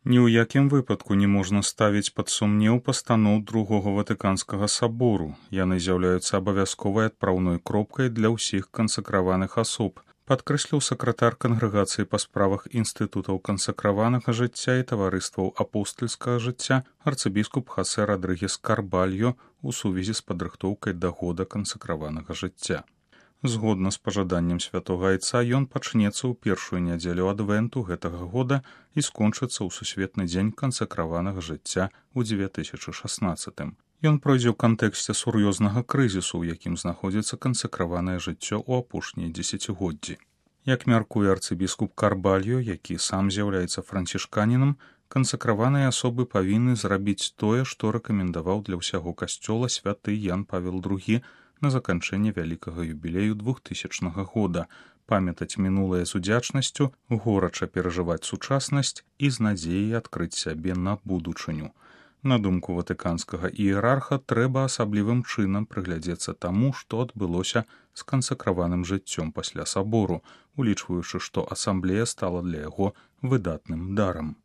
Ні ў якім выпадку не можна ставіць пад сумнеў пастаноў Другога Ватыканскага сабору. Яны з'яўляюцца абавязковай адпраўной кропкай для ўсіх кансакраваных асоб, падкрэсліў сакратар кангрэгацыі па справах інстытутаў кансакраванага жыцця і таварыстваў апостальскага жыцця арцыбіскуп Хасе Радрыгес Карбальо у сувязі з падрыхтоўкай да года кансакраванага жыцця. Згодна з пажаданнем святога айца, ён пачнецца ў першую нядзелю адвенту гэтага года і скончыцца ў сусветны дзень кансакраванага жыцця ў 2016. Ён пройдзе ў кантэксце сур'ёзнага крызісу, у якім знаходзіцца кансакраванае жыццё ў апошнія дзесяцігоддзі. Як мяркуе арцыбіскуп Карбальо, які сам з'яўляецца францішканінам, кансакраваныя асобы павінны зрабіць тое, што рэкамендаваў для ўсяго касцёла святы Ян Павел II на заканчэнне вялікага юбілею 2000 года, памятаць мінулае з удзячнасцю, горача перажываць сучаснасць і з надзеяй адкрыць сябе на будучыню. На думку ватыканскага іерарха, трэба асаблівым чынам прыглядзецца таму, што адбылося з кансакраваным жыццём пасля сабору, улічваючы, што асамблея стала для яго выдатным дарам.